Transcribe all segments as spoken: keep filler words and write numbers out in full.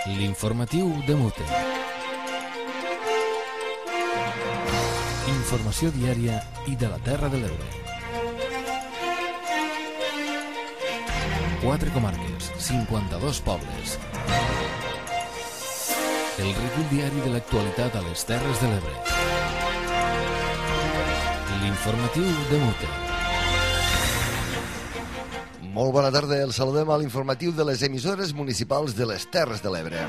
L'informatiu de Mute. Informació diària i de la Terra de l'Ebre. Quatre comarques, cinquanta-dos pobles. El recull diari de l'actualitat a les Terres de l'Ebre. L'informatiu de Mute. Molt bona tarda, el saludem a l'informatiu de les emissores municipals de les Terres de l'Ebre.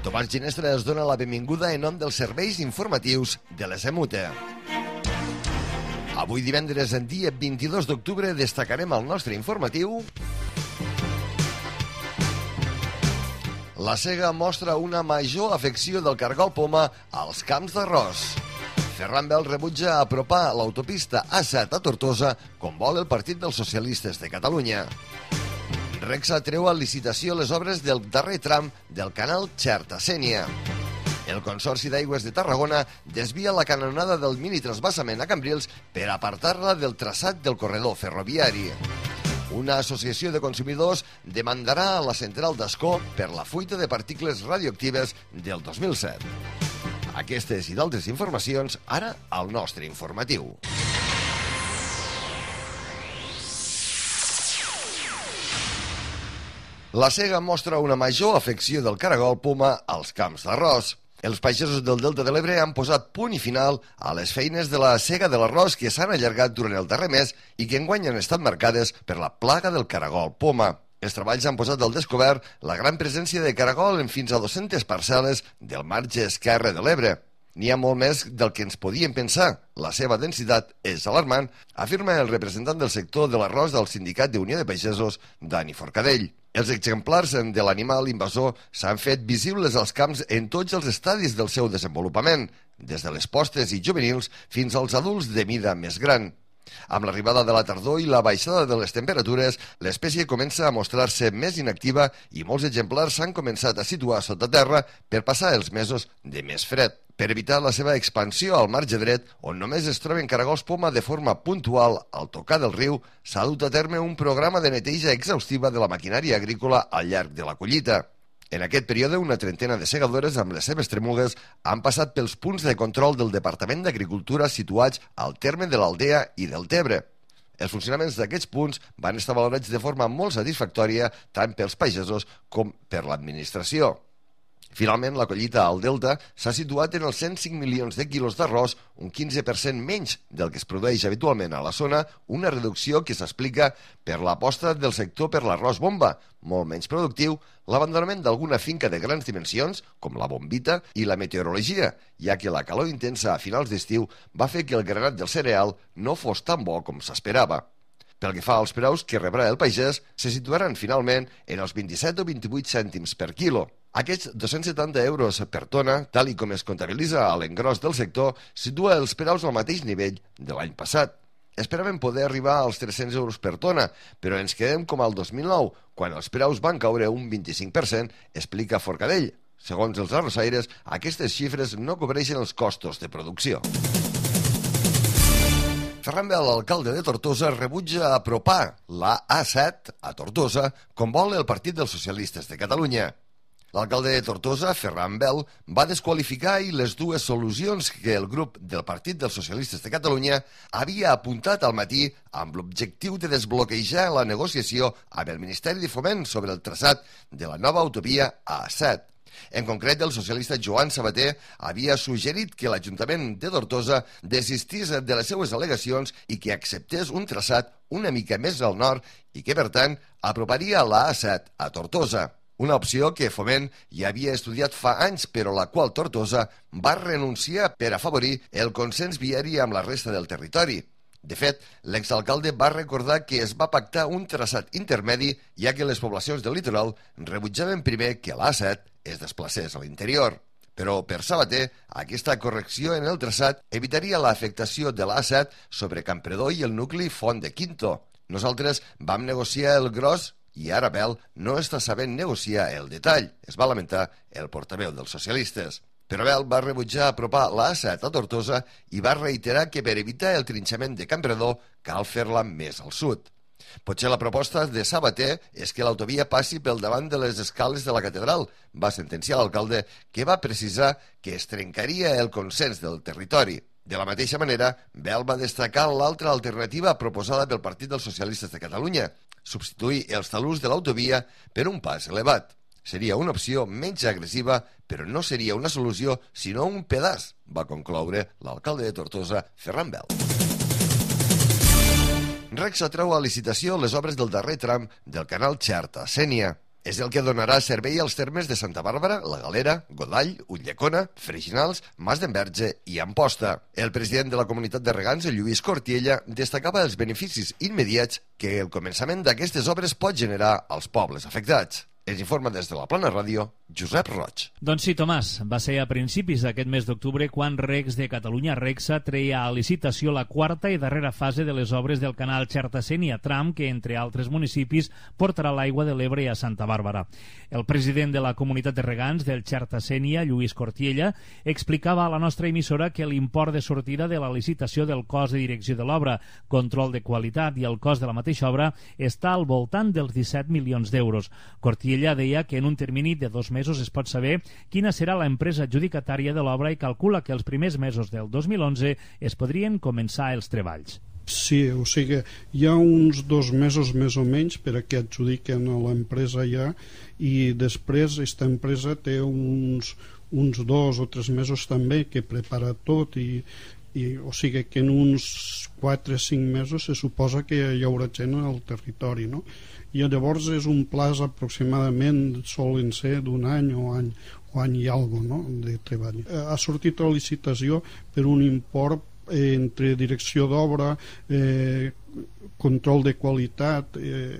Tomàs Ginestra es dona la benvinguda en nom dels serveis informatius de les E M U T E. Avui divendres, en dia vint-i-dos d'octubre, destacarem al nostre informatiu: la Sega mostra una major afecció del cargol poma als camps d'arròs. Ferran Bel rebutja apropar l'autopista A set a Tortosa com vol el Partit dels Socialistes de Catalunya. Rexa treu a licitació les obres del darrer tram del canal Xerta-Sénia. El Consorci d'Aigües de Tarragona desvia la canonada del mini-transvasament a Cambrils per apartar-la del traçat del corredor ferroviari. Una associació de consumidors demandarà a la central d'Ascó per la fuita de partícules radioactives del dos mil set. Aquestes i d'altres informacions, ara al nostre informatiu. La Sega mostra una major afecció del caragol poma als camps d'arròs. Els pagesos del Delta de l'Ebre han posat punt i final a les feines de la sega de l'arròs que s'han allargat durant el darrer mes i que enguany han estat marcades per la plaga del caragol poma. Els treballs han posat al descobert la gran presència de caragol en fins a dues-centes parcel·les del marge esquerre de l'Ebre. N'hi ha molt més del que ens podíem pensar. La seva densitat és alarmant, afirma el representant del sector de l'arròs del Sindicat d'Unió de Pagesos, Dani Forcadell. Els exemplars de l'animal invasor s'han fet visibles als camps en tots els estadis del seu desenvolupament, des de les postes i juvenils fins als adults de mida més gran. Amb l'arribada de la tardor i la baixada de les temperatures, l'espècie comença a mostrar-se més inactiva i molts exemplars s'han començat a situar sota terra per passar els mesos de més fred. Per evitar la seva expansió al marge dret, on només es troben caragols poma de forma puntual al tocar del riu, s'ha dut a terme un programa de neteja exhaustiva de la maquinària agrícola al llarg de la collita. En aquest període, una trentena de segadores amb les seves tremugues han passat pels punts de control del Departament d'Agricultura situats al terme de l'Aldea i del Tebre. Els funcionaments d'aquests punts van estar valorats de forma molt satisfactòria tant pels pagesos com per l'administració. Finalment, la collita al Delta s'ha situat en els cent cinc milions de quilos d'arròs, un quinze per cent menys del que es produeix habitualment a la zona, una reducció que s'explica per l'aposta del sector per l'arròs bomba, molt menys productiu, l'abandonament d'alguna finca de grans dimensions, com la bombita, i la meteorologia, ja que la calor intensa a finals d'estiu va fer que el granat del cereal no fos tan bo com s'esperava. Pel que fa als preus que rebrà el pagès, se situaran finalment en els vint-i-set o vint-i-vuit cèntims per quilo. Aquests dos-cents setanta euros per tona, tal i com es comptabilitza a l'engròs del sector, situa els preus al mateix nivell de l'any passat. Esperàvem poder arribar als tres-cents euros per tona, però ens quedem com al dos mil nou, quan els preus van caure un vint-i-cinc per cent, explica Forcadell. Segons els arrossaires, aquestes xifres no cobreixen els costos de producció. Ferran Bel, l'alcalde de Tortosa, rebutja apropar la A set a Tortosa com vol el Partit dels Socialistes de Catalunya. L'alcalde de Tortosa, Ferran Bel, va desqualificar ahir les dues solucions que el grup del Partit dels Socialistes de Catalunya havia apuntat al matí amb l'objectiu de desbloquejar la negociació amb el Ministeri de Foment sobre el traçat de la nova autovia A set. En concret, el socialista Joan Sabater havia suggerit que l'Ajuntament de Tortosa desistís de les seues al·legacions i que acceptés un traçat una mica més al nord i que, per tant, aproparia la A set a Tortosa. Una opció que Foment ja havia estudiat fa anys, però la qual Tortosa va renunciar per afavorir el consens viari amb la resta del territori. De fet, l'exalcalde va recordar que es va pactar un traçat intermedi, ja que les poblacions del litoral rebutjaven primer que l'A set es desplacés a l'interior. Però, per Sabater, aquesta correcció en el traçat evitaria l'afectació de l'A set sobre Campredó i el nucli Font de Quinto. Nosaltres vam negociar el gros i ara Bel no està sabent negociar el detall, es va lamentar el portaveu dels socialistes. Però Bel va rebutjar apropar la A set a Tortosa i va reiterar que per evitar el trinxament de Campredó cal fer-la més al sud. Potser la proposta de Sabater és que l'autovia passi pel davant de les escales de la catedral, va sentenciar l'alcalde, que va precisar que es trencaria el consens del territori. De la mateixa manera, Bel va destacar l'altra alternativa proposada pel Partit dels Socialistes de Catalunya, substituir els talús de l'autovia per un pas elevat. Seria una opció menys agressiva, però no seria una solució, sinó un pedaç, va concloure l'alcalde de Tortosa, Ferran Bel. Regsa treu a licitació les obres del darrer tram del canal Xerta-Sénia. És el que donarà servei als termes de Santa Bàrbara, La Galera, Godall, Ulldecona, Freixinals, Mas d'Enverge i Amposta. El president de la comunitat de regants, Lluís Cortiella, destacava els beneficis immediats que el començament d'aquestes obres pot generar als pobles afectats. Ens informa des de la Plana Ràdio, Josep Roig. Doncs sí, Tomàs, va ser a principis d'aquest mes d'octubre quan Regs de Catalunya, Regsa, treia a licitació la quarta i darrera fase de les obres del canal Xerta-Sénia, tram que, entre altres municipis, portarà l'aigua de l'Ebre a Santa Bàrbara. El president de la comunitat de regants del Xerta-Sénia, Lluís Cortiella, explicava a la nostra emissora que l'import de sortida de la licitació del cost de direcció de l'obra, control de qualitat i el cost de la mateixa obra està al voltant dels disset milions d'euros. Cortiella Ella deia que en un termini de dos mesos es pot saber quina serà l'empresa adjudicatària de l'obra i calcula que els primers mesos del dos mil onze es podrien començar els treballs. Sí, o sigui, hi ha uns dos mesos més o menys per a que adjudiquen a l'empresa ja, i després aquesta empresa té uns, uns dos o tres mesos també que prepara tot i, i o sigui que en uns quatre o cinc mesos se suposa que hi haurà gent al territori, no? I llavors és un plaç aproximadament, solen ser d'un any o any, o any i algo, no?, de treball. Ha sortit a licitació per un import eh, entre direcció d'obra, eh, control de qualitat eh,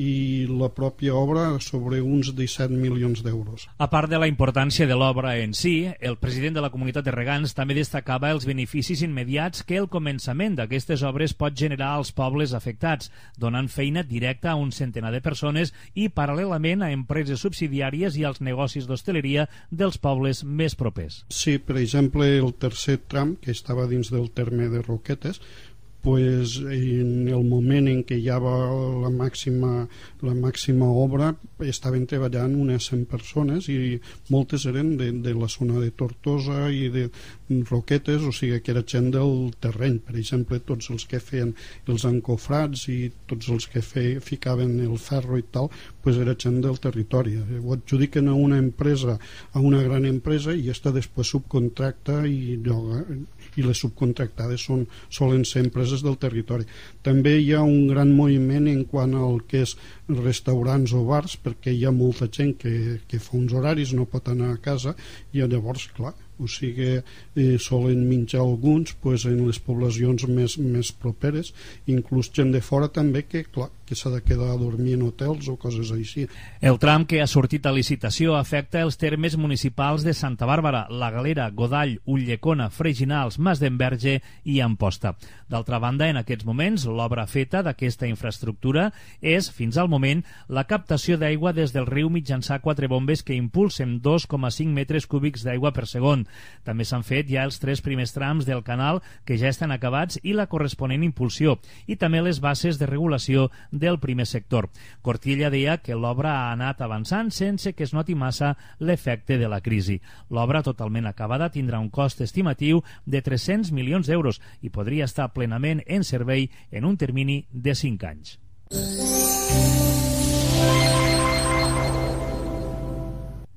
i la pròpia obra sobre uns disset milions d'euros. A part de la importància de l'obra en si, el president de la comunitat de regants també destacava els beneficis immediats que el començament d'aquestes obres pot generar als pobles afectats, donant feina directa a un centenar de persones i paral·lelament a empreses subsidiàries i als negocis d'hostaleria dels pobles més propers. Sí, per exemple, el tercer tram, que estava dins del terme de Roquetes, pues en el moment en què hi havia la màxima, la màxima obra estaven treballant unes cent persones i moltes eren de, de la zona de Tortosa i de Roquetes, o sigui que era gent del terreny. Per exemple, tots els que feien els encofrats i tots els que fe, ficaven el ferro i tal, pues era gent del territori. Ho adjudiquen a una empresa, a una gran empresa, i aquesta després subcontracta i lloga, i les subcontractades són, solen ser empreses del territori. També hi ha un gran moviment en quant al que és restaurants o bars, perquè hi ha molta gent que, que fa uns horaris, no pot anar a casa, i llavors, clar, o sigui, eh, solen menjar alguns pues, en les poblacions més, més properes, inclús gent de fora també que, clar, que s'ha de quedar a dormir en hotels o coses així. El tram que ha sortit a licitació afecta els termes municipals de Santa Bàrbara, La Galera, Godall, Ulldecona, Freixinals, Mas d'Enverge i Amposta. D'altra banda, en aquests moments, l'obra feta d'aquesta infraestructura és, fins al moment, la captació d'aigua des del riu mitjançant quatre bombes que impulsen dos coma cinc metres cúbics d'aigua per segon. També s'han fet ja els tres primers trams del canal que ja estan acabats i la corresponent impulsió, i també les bases de regulació del primer sector. Cortiella deia que l'obra ha anat avançant sense que es noti massa l'efecte de la crisi. L'obra totalment acabada tindrà un cost estimatiu de tres-cents milions d'euros i podria estar plenament en servei en un termini de cinc anys.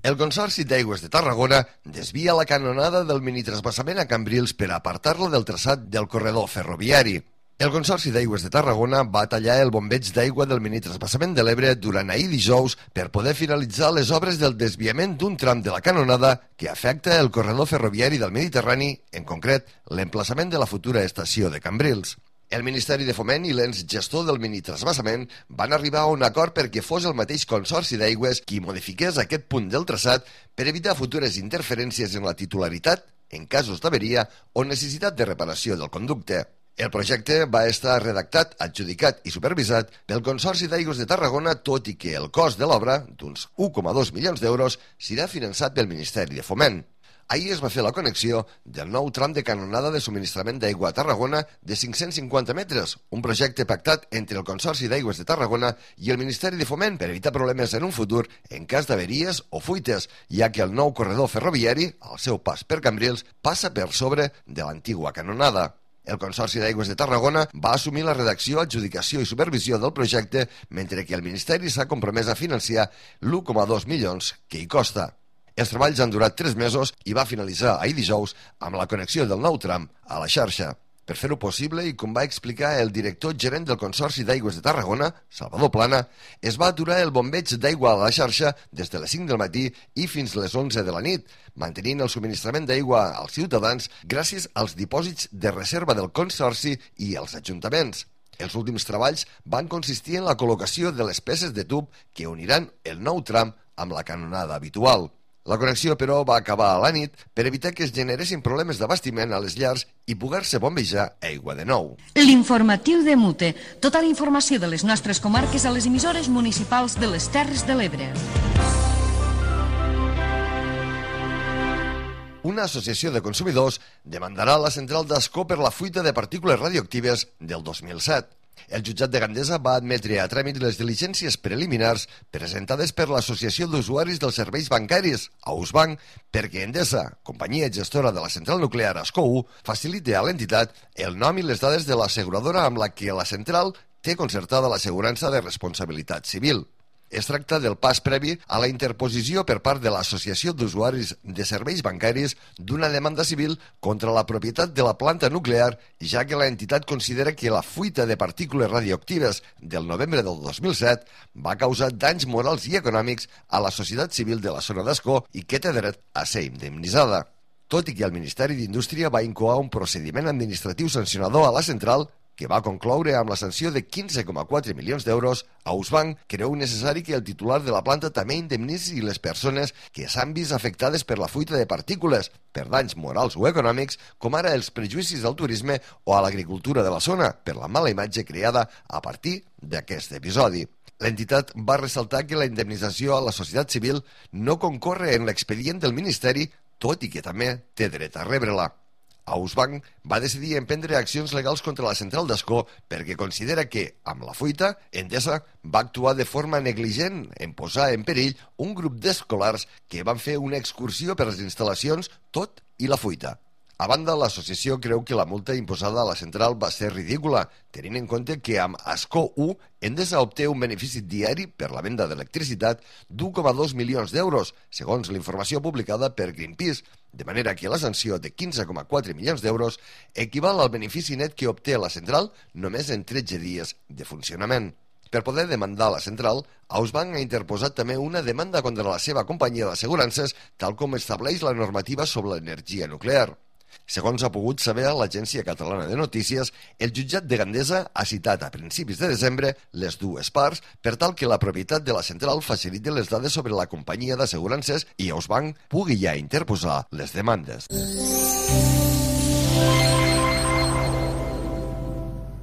El Consorci d'Aigües de Tarragona desvia la canonada del minitrasbassament a Cambrils per apartar-la del traçat del corredor ferroviari. El Consorci d'Aigües de Tarragona va tallar el bombeig d'aigua del minitrasbassament de l'Ebre durant ahir dijous per poder finalitzar les obres del desviament d'un tram de la canonada que afecta el corredor ferroviari del Mediterrani, en concret l'emplaçament de la futura estació de Cambrils. El Ministeri de Foment i l'ens gestor del minitrasbassament van arribar a un acord perquè fos el mateix Consorci d'Aigües qui modifiqués aquest punt del traçat per evitar futures interferències en la titularitat, en casos d'averia o necessitat de reparació del conducte. El projecte va estar redactat, adjudicat i supervisat pel Consorci d'Aigües de Tarragona, tot i que el cost de l'obra, d'uns u coma dos milions d'euros, serà finançat pel Ministeri de Foment. Ahir es va fer la connexió del nou tram de canonada de subministrament d'aigua a Tarragona de cinc-cents cinquanta metres, un projecte pactat entre el Consorci d'Aigües de Tarragona i el Ministeri de Foment per evitar problemes en un futur en cas d'averies o fuites, ja que el nou corredor ferroviari, al seu pas per Cambrils, passa per sobre de l'antigua canonada. El Consorci d'Aigües de Tarragona va assumir la redacció, adjudicació i supervisió del projecte, mentre que el Ministeri s'ha compromès a financiar l'u coma dos milions que hi costa. Els treballs han durat tres mesos i va finalitzar ahir dijous amb la connexió del nou tram a la xarxa. Per fer-ho possible, i com va explicar el director gerent del Consorci d'Aigües de Tarragona, Salvador Plana, es va aturar el bombeig d'aigua a la xarxa des de les cinc del matí i fins les onze de la nit, mantenint el subministrament d'aigua als ciutadans gràcies als dipòsits de reserva del Consorci i els ajuntaments. Els últims treballs van consistir en la col·locació de les peces de tub que uniran el nou tram amb la canonada habitual. La connexió, però, va acabar a la nit per evitar que es generessin problemes d'abastiment a les llars i poder-se bombejar aigua de nou. L'informatiu de Mute. Tota la informació de les nostres comarques a les emissores municipals de les Terres de l'Ebre. Una associació de consumidors demandarà la central d'Ascó per la fuita de partícules radioactives del dos mil set. El jutjat de Gandesa va admetre a tràmit les diligències preliminars presentades per l'Associació d'Usuaris dels Serveis Bancaris, Ausbanc, perquè Endesa, companyia gestora de la central nuclear Ascó u, faciliti a l'entitat el nom i les dades de l'asseguradora amb la que la central té concertada l'assegurança de responsabilitat civil. Es tracta del pas previ a la interposició per part de l'Associació d'Usuaris de Serveis Bancaris d'una demanda civil contra la propietat de la planta nuclear, ja que l'entitat considera que la fuita de partícules radioactives del novembre del dos mil set va causar danys morals i econòmics a la societat civil de la zona d'Ascó i que té dret a ser indemnitzada. Tot i que el Ministeri d'Indústria va incoar un procediment administratiu sancionador a la central, que va concloure amb la sanció de quinze coma quatre milions d'euros, Ausbanc creu necessari que el titular de la planta també indemnitzi les persones que s'han vist afectades per la fuita de partícules, per danys morals o econòmics, com ara els prejudicis al turisme o a l'agricultura de la zona, per la mala imatge creada a partir d'aquest episodi. L'entitat va ressaltar que la indemnització a la societat civil no concorre en l'expedient del Ministeri, tot i que també té dret a rebre-la. Ausbanc va decidir emprendre accions legals contra la central d'Ascó perquè considera que, amb la fuita, Endesa va actuar de forma negligent en posar en perill un grup d'escolars que van fer una excursió per les instal·lacions tot i la fuita. A banda, l'associació creu que la multa imposada a la central va ser ridícula, tenint en compte que amb Ascó u Endesa obté un benefici diari per la venda d'electricitat d'u coma dos milions d'euros, segons la informació publicada per Greenpeace, de manera que la sanció de quinze coma quatre milions d'euros equival al benefici net que obté la central només en tretze dies de funcionament. Per poder demandar la central, Ausbanc ha interposat també una demanda contra la seva companyia d'assegurances, tal com estableix la normativa sobre l'energia nuclear. Segons ha pogut saber l'Agència Catalana de Notícies, el jutjat de Gandesa ha citat a principis de desembre les dues parts per tal que la propietat de la central faciliti les dades sobre la companyia d'assegurances i Ausbanc pugui ja interposar les demandes.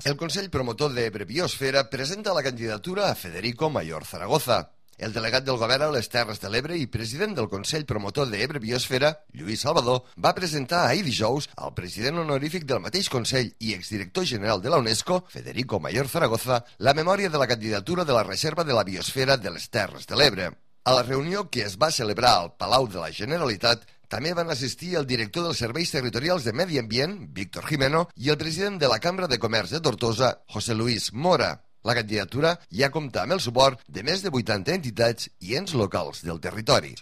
El Consell Promotor d'Ebre Biosfera presenta la candidatura a Federico Mayor Zaragoza. El delegat del govern a les Terres de l'Ebre i president del Consell Promotor d'Ebre Biosfera, Lluís Salvador, va presentar ahir dijous al president honorífic del mateix Consell i exdirector general de la UNESCO, Federico Mayor Zaragoza, la memòria de la candidatura de la Reserva de la Biosfera de les Terres de l'Ebre. A la reunió que es va celebrar al Palau de la Generalitat, també van assistir el director dels Serveis Territorials de Medi Ambient, Víctor Jimeno, i el president de la Cambra de Comerç de Tortosa, José Luis Mora. La candidatura ja compta amb el suport de més de vuitanta entitats i ens locals del territori.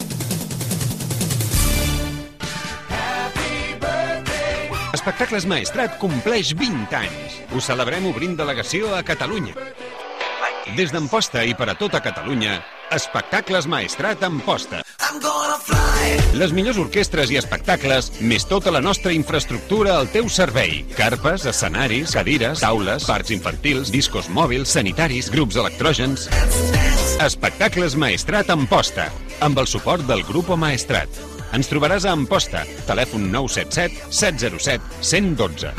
Espectacles Maestrat compleix vint anys. Ho celebrem obrint delegació a Catalunya. Des d'Amposta i per a tota Catalunya, Espectacles Maestrat Amposta. Les millors orquestres i espectacles, més tota la nostra infraestructura al teu servei. Carpes, escenaris, cadires, taules, parcs infantils, discos mòbils, sanitaris, grups electrògens. Espectacles Maestrat Amposta, amb el suport del Grupo Maestrat. Ens trobaràs a Amposta, telèfon nou set set, set zero set, cent dotze.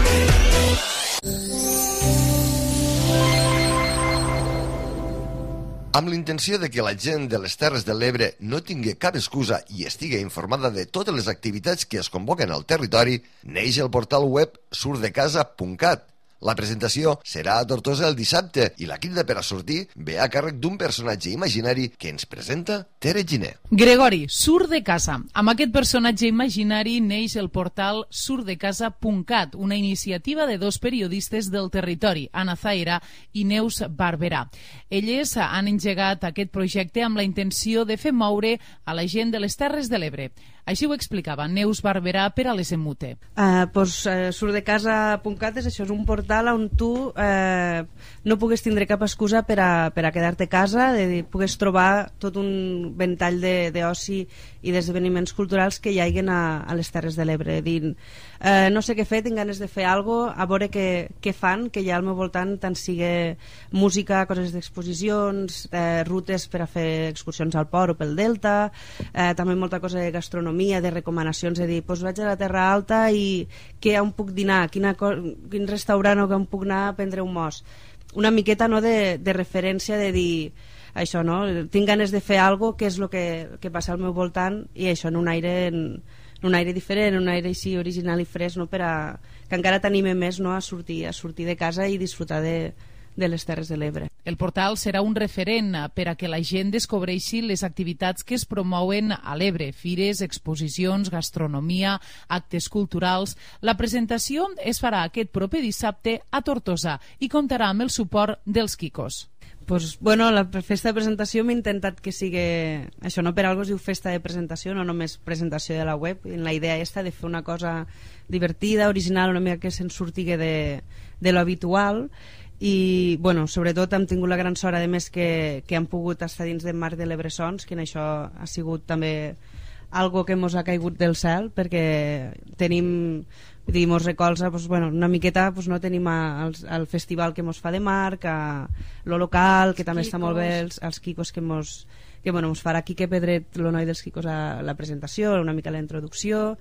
Amb l'intenció de que la gent de les Terres de l'Ebre no tingui cap excusa i estigui informada de totes les activitats que es convoquen al territori, neix el portal web surdecasa punt cat. La presentació serà a Tortosa el dissabte i la crida per a sortir ve a càrrec d'un personatge imaginari que ens presenta Tere Giner. Gregori, surt de casa. Amb aquest personatge imaginari neix el portal surdecasa punt cat, una iniciativa de dos periodistes del territori, Anna Zaira i Neus Barberà. Elles han engegat aquest projecte amb la intenció de fer moure a la gent de les Terres de l'Ebre. Així ho explicava Neus Barberà per a les Emute. Uh, pues, uh, surdecasa punt cat és això, és un portal on tu uh, no pugues tindre cap excusa per a, per a quedar-te a casa, de, pugues trobar tot un ventall d'oci i d'esdeveniments culturals que hi haguen a, a les Terres de l'Ebre. Dint, uh, no sé què fer, tinc ganes de fer alguna cosa, a veure què, què fan, que hi ha al meu voltant, tant sigui música, coses d'exposicions, uh, rutes per a fer excursions al port o pel Delta, uh, també molta cosa de gastronomia, de recomanacions, de dir, doncs vaig a la Terra Alta i què on puc dinar, quina, quin restaurant o on puc anar a prendre un mos. Una miqueta, no, de, de referència, de dir això, no? Tinc ganes de fer alguna cosa, que és el que, que passa al meu voltant, i això en un aire, en, en un aire diferent, en un aire així original i fresc, no? Per a, que encara t'anime més, no? a, sortir, a sortir de casa i disfrutar de, de les Terres de l'Ebre. El portal serà un referent per a que la gent descobreixi les activitats que es promouen a l'Ebre, fires, exposicions, gastronomia, actes culturals. La presentació es farà aquest proper dissabte a Tortosa i comptarà amb el suport dels Quicos. Pues, bueno, la festa de presentació m'he intentat que sigui això, no per algo es diu festa de presentació, no només presentació de la web. La idea està de fer una cosa divertida, original, una mica que se'n surtigui de, de lo habitual. I bueno, sobretot hem tingut la gran sort a més que, que hem pogut estar dins del marc de l'Ebressons, que en això ha sigut també algo que mos ha caigut del cel, perquè tenim, vull dir, mos recolza doncs, bueno, una miqueta, doncs, no tenim a, el, el festival que mos fa de marc, a lo local, que també està molt bé, els, els Quicos que mos, que, bueno, mos farà Quique Pedret, el noi dels Quicos, a la presentació, una mica la introducció.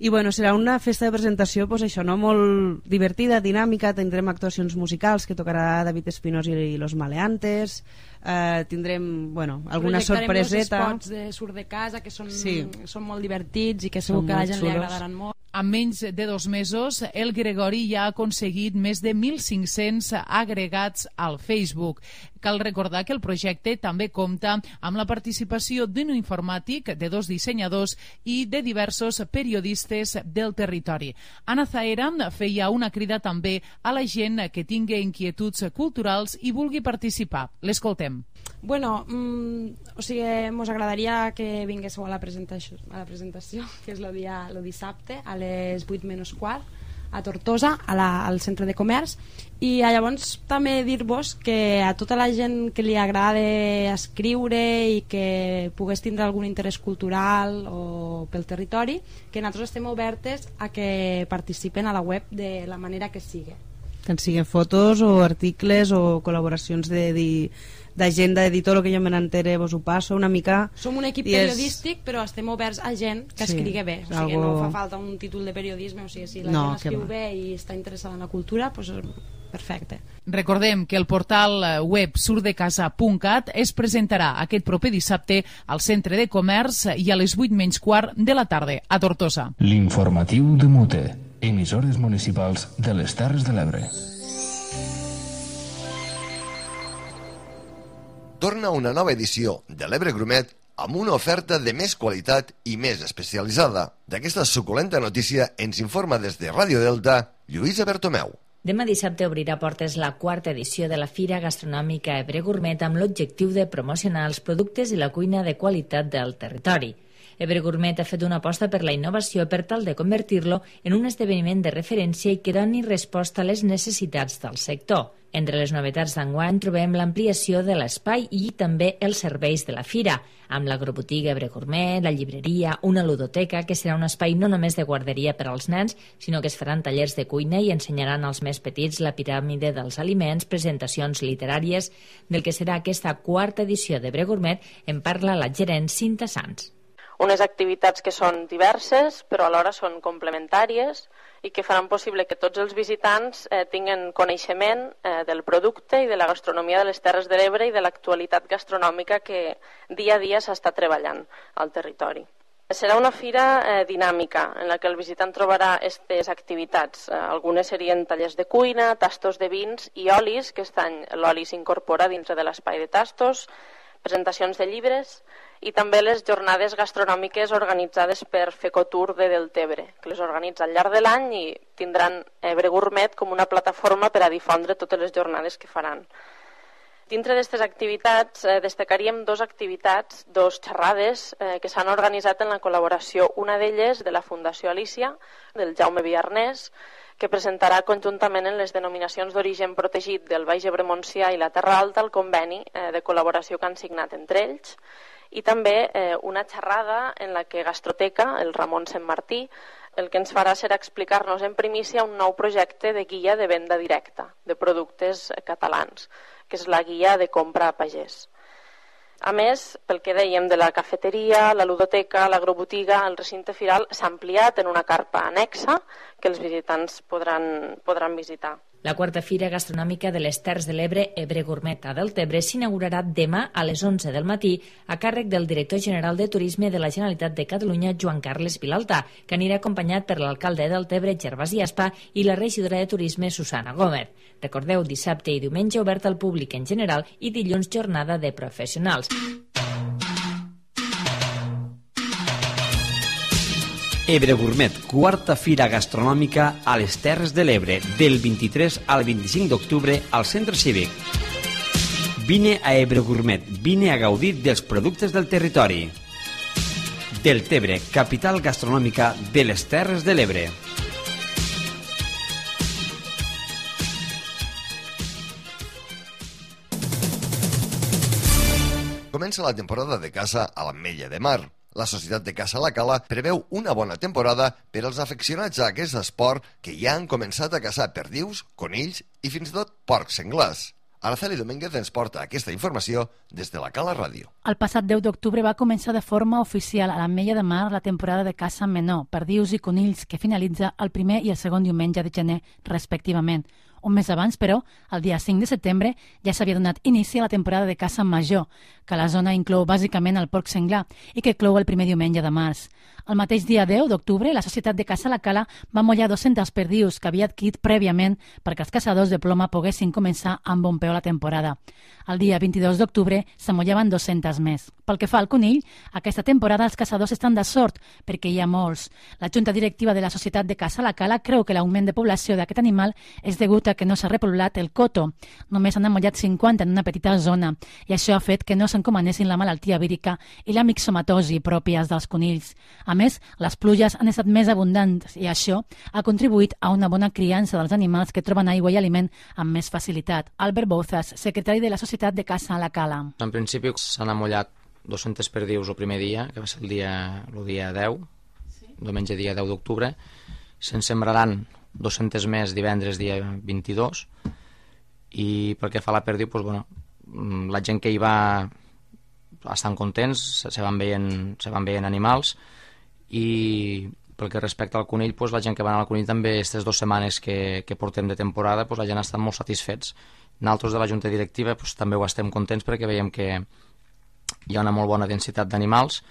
I bueno, serà una festa de presentació pues, això, no? Molt divertida, dinàmica, tindrem actuacions musicals que tocarà David Espinós i, i Los Maleantes, eh, tindrem bueno, alguna sorpreseta. Projectarem els spots de Surt de Casa que són, sí. són molt divertits i que segur que a la gent xulos. Li agradaran molt. En menys de dos mesos, el Gregori ja ha aconseguit més de mil cinc-cents agregats al Facebook. Cal recordar que el projecte també compta amb la participació d'un informàtic, de dos dissenyadors i de diversos periodistes del territori. Anna Zaera feia una crida també a la gent que tingui inquietuds culturals i vulgui participar. L'escoltem. Bueno, mm, o sigui, mos agradaria que vinguéssiu a la presentació, a la presentació que és el dia el dissabte a les vuit menys quart a Tortosa, a la, al centre de comerç, i llavors també dir-vos que a tota la gent que li agrada escriure i que pogués tindre algun interès cultural o pel territori, que nosaltres estem obertes a que participen a la web de la manera que sigui. Tant siguin fotos o articles o col·laboracions de dir d'agenda, de dir tot el que jo me n'entere vos ho passo una mica. Som un equip és... periodístic, però estem oberts a gent que sí, escrigui bé, o sigui, algo... no fa falta un títol de periodisme, o sigui, si la no, gent escriu bé i està interessada en la cultura, doncs perfecte. Recordem que el portal web surdecasa punt cat es presentarà aquest proper dissabte al centre de comerç i a les vuit menys quart de la tarda a Tortosa. L'informatiu de Mute, emissores municipals de les Terres de l'Ebre. Torna una nova edició de l'Ebre Grumet amb una oferta de més qualitat i més especialitzada. D'aquesta suculenta notícia ens informa des de Ràdio Delta Lluïsa Bertomeu. Demà dissabte obrirà portes la quarta edició de la Fira Gastronòmica Ebre Gourmet amb l'objectiu de promocionar els productes i la cuina de qualitat del territori. Ebre Gourmet ha fet una aposta per la innovació per tal de convertir-lo en un esdeveniment de referència i que doni resposta a les necessitats del sector. Entre les novetats d'enguany trobem l'ampliació de l'espai i també els serveis de la fira, amb l'agrobotiga Ebre Gourmet, la llibreria, una ludoteca, que serà un espai no només de guarderia per als nens, sinó que es faran tallers de cuina i ensenyaran als més petits la piràmide dels aliments, presentacions literàries. Del que serà aquesta quarta edició d'Ebre Gourmet en parla la gerent Cinta Sans. unes activitats que són diverses, però alhora són complementàries i que faran possible que tots els visitants eh, tinguin coneixement eh, del producte i de la gastronomia de les Terres de l'Ebre i de l'actualitat gastronòmica que dia a dia s'està treballant al territori. Serà una fira eh, dinàmica en la que el visitant trobarà aquestes activitats. Eh, algunes serien tallers de cuina, tastos de vins i olis, que aquest any l'oli s'incorpora dintre de l'espai de tastos, presentacions de llibres i també les jornades gastronòmiques organitzades per Fecotour de Deltebre, que les organitza al llarg de l'any i tindran Ebre Gourmet com una plataforma per a difondre totes les jornades que faran. Dintre d'aquestes activitats eh, destacaríem dues activitats, dos xerrades eh, que s'han organitzat en la col·laboració, una d'elles de la Fundació Alícia, del Jaume Villarnès, que presentarà conjuntament en les denominacions d'origen protegit del Baix Ebre Montsià i la Terra Alta el conveni eh, de col·laboració que han signat entre ells, i també eh, una xerrada en la que Gastroteca, el Ramon Sant Martí, el que ens farà serà explicar-nos en primícia un nou projecte de guia de venda directa de productes catalans, que és la guia de compra a pagès. A més, pel que dèiem de la cafeteria, la ludoteca, l'agrobotiga, el recinte firal s'ha ampliat en una carpa annexa que els visitants podran, podran visitar. La quarta fira gastronòmica de les Terres de l'Ebre, Ebre Gourmet a Deltebre, s'inaugurarà demà a les onze del matí a càrrec del director general de Turisme de la Generalitat de Catalunya, Joan Carles Vilalta, que anirà acompanyat per l'alcalde de Deltebre, Gervasi Aspa, i la regidora de Turisme, Susana Gómez. Recordeu, dissabte i diumenge obert al públic en general i dilluns jornada de professionals. Ebre Gourmet, quarta fira gastronòmica a les Terres de l'Ebre, del vint-i-tres al vint-i-cinc d'octubre al Centre Cívic. Vine a Ebre Gourmet, vine a gaudir dels productes del territori. Deltebre, capital gastronòmica de les Terres de l'Ebre. Comença la temporada de caça a l'Ametlla de Mar. La Societat de Caça La Cala preveu una bona temporada per als afeccionats a aquest esport que ja han començat a caçar perdius, conills i fins i tot porcs senglars. Araceli Domínguez ens porta aquesta informació des de la Cala Ràdio. El passat deu d'octubre va començar de forma oficial a l'Ametlla de Mar la temporada de caça menor, perdius i conills, que finalitza el primer i el segon diumenge de gener, respectivament. Un mes abans, però, el dia cinc de setembre, ja s'havia donat inici a la temporada de caça major, que la zona inclou bàsicament el porc senglar i que clou el primer diumenge de març. El mateix dia deu d'octubre, la Societat de Caça La Cala va mollar dos-cents perdius que havia adquirit prèviament perquè els caçadors de ploma poguessin començar amb bon peu la temporada. El dia vint-i-dos d'octubre s'amollaven dos-cents més. Pel que fa al conill, aquesta temporada els caçadors estan de sort perquè hi ha molts. La Junta Directiva de la Societat de Caça La Cala creu que l'augment de població d'aquest animal és degut a que no s'ha repoblat el coto. Només han amollat cinquanta en una petita zona i això ha fet que no s'encomanessin la malaltia vírica i la mixomatosi pròpies dels conills. A més, les pluges han estat més abundants i això ha contribuït a una bona criança dels animals que troben aigua i aliment amb més facilitat. Albert Bouzas, secretari de la Societat de Caça La Cala. En principi s'han amollat dos-cents perdius el primer dia, que va ser el dia, el dia deu, sí. Diumenge dia deu d'octubre. Se'n sembraran dos-cents més divendres dia vint-i-dos, i pel que fa a la perdiu, doncs, bueno, la gent que hi va estan contents, se van veient, se van veient animals, i pel que respecta al conill, doncs, la gent que va anar al conill també aquestes dues setmanes que, que portem de temporada, doncs, la gent està molt satisfets. Nosaltres de la Junta Directiva doncs, també ho estem contents perquè veiem que hi ha una molt bona densitat d'animals,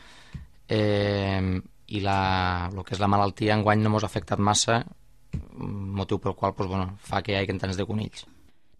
eh, i la, el que és la malaltia enguany no ens ha afectat massa, motiu pel qual doncs, bueno, fa que hi hagi tants de conills.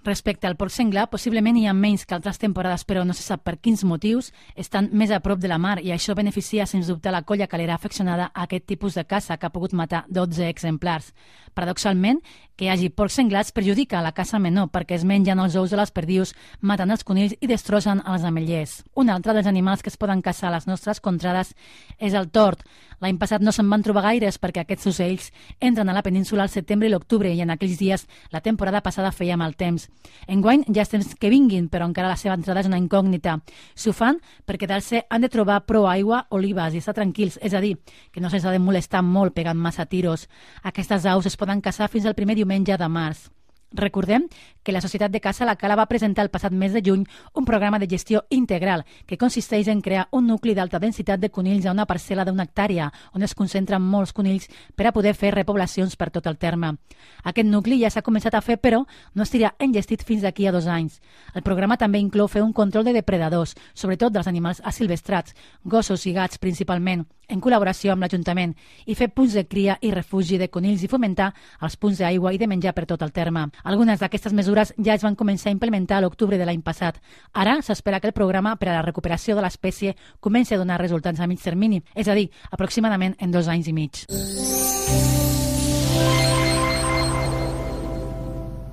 Respecte al porc senglar, possiblement hi ha menys que altres temporades, però no se sap per quins motius, estan més a prop de la mar i això beneficia sens dubte la colla calera afeccionada a aquest tipus de caça que ha pogut matar dotze exemplars. Paradoxalment, que hi hagi porcs senglars perjudica la caça menor perquè es mengen els ous de les perdius, maten els conills i destrossen els ametllers. Un altre dels animals que es poden caçar a les nostres contrades és el tord. L'any passat no se'n van trobar gaires perquè aquests ocells entren a la península al setembre i l'octubre i en aquells dies la temporada passada feia mal temps. Enguany ja és temps que vinguin, però encara la seva entrada és una incògnita. Si ho fan, per quedar-se han de trobar prou aigua, olives i estar tranquils, és a dir, que no se'ls ha de molestar molt pegant massa tiros. Aquestes aus es poden caçar fins al primer diumenge de març. Recordem que la Societat de Caça La Cala va presentar el passat mes de juny un programa de gestió integral que consisteix en crear un nucli d'alta densitat de conills a una parcel·la d'una hectàrea on es concentren molts conills per a poder fer repoblacions per tot el terme. Aquest nucli ja s'ha començat a fer, però no estirà enllestit fins d'aquí a dos anys. El programa també inclou fer un control de depredadors, sobretot dels animals asilvestrats, gossos i gats principalment, en col·laboració amb l'Ajuntament, i fer punts de cria i refugi de conills i fomentar els punts d'aigua i de menjar per tot el terme. Algunes d'aquestes mesures ja es van començar a implementar a l'octubre de l'any passat. Ara s'espera que el programa per a la recuperació de l'espècie comenci a donar resultats a mig termini, és a dir, aproximadament en dos anys i mig.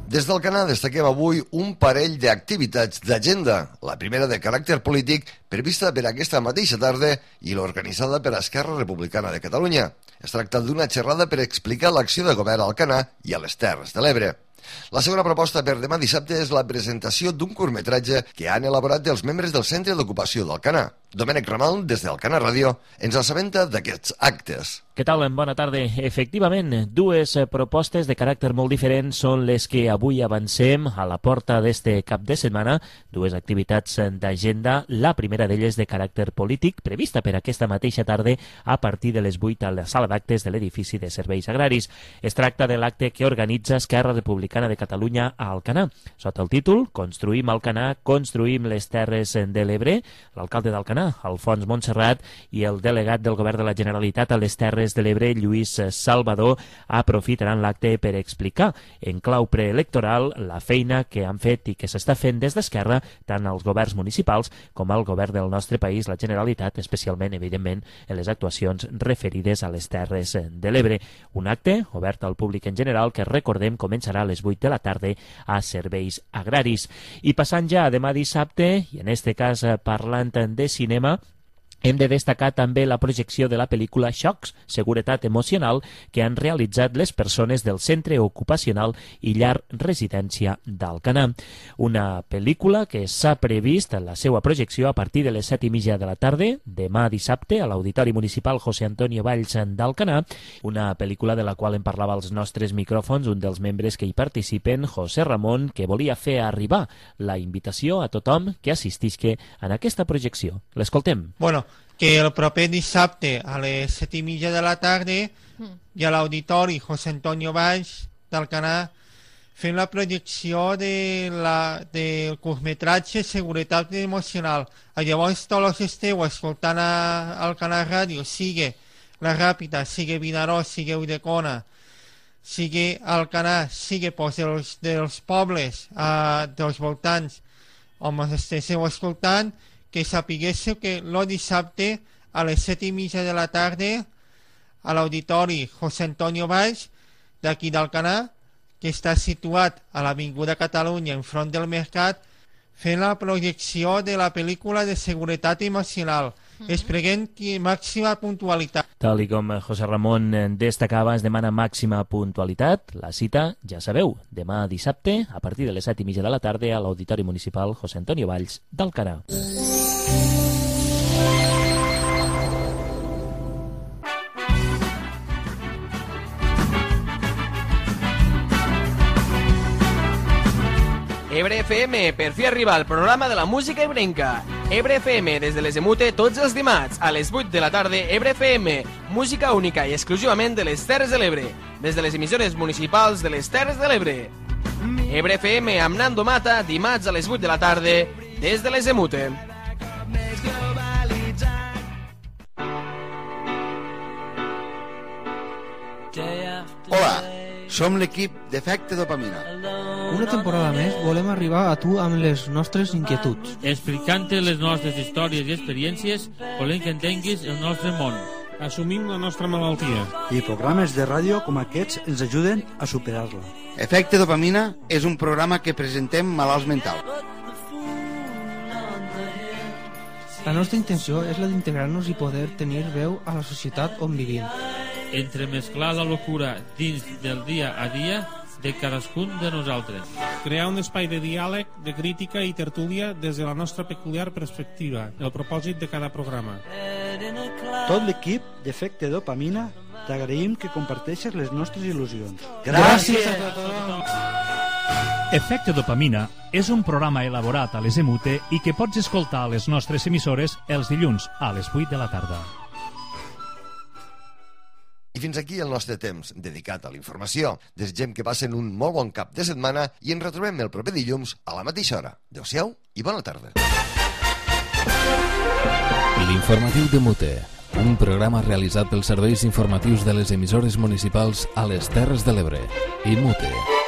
Des d'Alcanar destaquem avui un parell d'activitats d'agenda. La primera de caràcter polític, prevista per aquesta mateixa tarda i l'organitzada per Esquerra Republicana de Catalunya. Es tracta d'una xerrada per explicar l'acció de govern a Alcanar i a les Terres de l'Ebre. La segona proposta per demà dissabte és la presentació d'un curtmetratge que han elaborat els membres del Centre d'Ocupació d'Alcanar. Domènec Ramal, des d'Alcanar Ràdio, ens assabenta d'aquests actes. Què tal? Bona tarda. Efectivament, dues propostes de caràcter molt diferent són les que avui avancem a la porta d'este cap de setmana. Dues activitats d'agenda, la primera d'elles de caràcter polític, prevista per aquesta mateixa tarda a partir de les vuit a la sala d'actes de l'edifici de serveis agraris. Es tracta de l'acte que organitza Esquerra Republicana de Catalunya a Alcanar. Sota el títol Construïm Alcanar, construïm les Terres de l'Ebre, l'alcalde d'Alcanar, Alfons Montserrat, i el delegat del Govern de la Generalitat a les Terres de l'Ebre, Lluís Salvador, aprofitaran l'acte per explicar en clau preelectoral la feina que han fet i que s'està fent des d'Esquerra tant als governs municipals com al govern del nostre país, la Generalitat, especialment, evidentment, en les actuacions referides a les Terres de l'Ebre. Un acte obert al públic en general que, recordem, començarà a les vuit de la tarda a Serveis Agraris. I passant ja a demà dissabte, i en este cas parlant de cinema, hem de destacar també la projecció de la pel·lícula Xocs, Seguretat Emocional, que han realitzat les persones del Centre Ocupacional i Llar Residència d'Alcanar. Una pel·lícula que s'ha previst la seva projecció a partir de les set i mitja de la tarda, demà dissabte, a l'Auditori Municipal José Antonio Valls d'Alcanar, una pel·lícula de la qual en parlava als nostres micròfons un dels membres que hi participen, José Ramon, que volia fer arribar la invitació a tothom que assistisca en aquesta projecció. L'escoltem. Bueno, que el proper dissabte a les set i mitja de la tarda i a l'Auditori José Antonio Valls d'Alcanar fem la projecció de la, del curtmetratge Seguretat Emocional. Llavors tots els esteu escoltant a Alcanar Ràdio, sigui La Ràpita, sigui Vinaròs, sigui Ulldecona, sigui Alcanar, sigui pues, dels, dels pobles uh, dels voltants on esteu escoltant, que sapiguéssiu que el dissabte a les set i mitja de la tarda a l'Auditori José Antonio Valls d'aquí d'Alcanar, que està situat a l'Avinguda Catalunya enfront del Mercat, fent la projecció de la pel·lícula de Seguretat Emocional. Mm-hmm. Esperem que màxima puntualitat. Tal i com José Ramon destacava, es demana màxima puntualitat. La cita, ja sabeu, demà dissabte, a partir de les set i mitja de la tarda, a l'Auditori Municipal José Antonio Valls d'Alcanar. Ebre F M, per fi arriba al programa de la música ebrenca. Ebre F M, des de les Emute, tots els dimarts, a les vuit de la tarda, Ebre F M, música única i exclusivament de les Terres de l'Ebre, des de les emissores municipals de les Terres de l'Ebre. Ebre F M amb Nando Mata, dimarts a les vuit de la tarda, des de les Emute. Hola, som l'equip d'Efecte Dopamina. Una temporada més volem arribar a tu amb les nostres inquietuds. Explicant-te les nostres històries i experiències, volem que entenguis el nostre món. Assumim la nostra malaltia. I programes de ràdio com aquests ens ajuden a superar-la. Efecte Dopamina és un programa que presentem malalts mentals. La nostra intenció és la d'integrar-nos i poder tenir veu a la societat on vivim. Entremesclar la locura dins del dia a dia de cadascun de nosaltres. Crear un espai de diàleg, de crítica i tertúlia des de la nostra peculiar perspectiva, el propòsit de cada programa. Tot l'equip d'Efecte Dopamina t'agraïm que comparteixes les nostres il·lusions. Gràcies a tothom! Efecte Dopamina és un programa elaborat a les EMUTE i que pots escoltar a les nostres emissores els dilluns a les vuit de la tarda. I fins aquí el nostre temps dedicat a la informació. Desitgem que passen un molt bon cap de setmana i ens retrobem el proper dilluns a la mateixa hora. Adéu-siau i bona tarda. L'informatiu de Mute, un programa realitzat pels serveis informatius de les emissores municipals a les Terres de l'Ebre i Mute.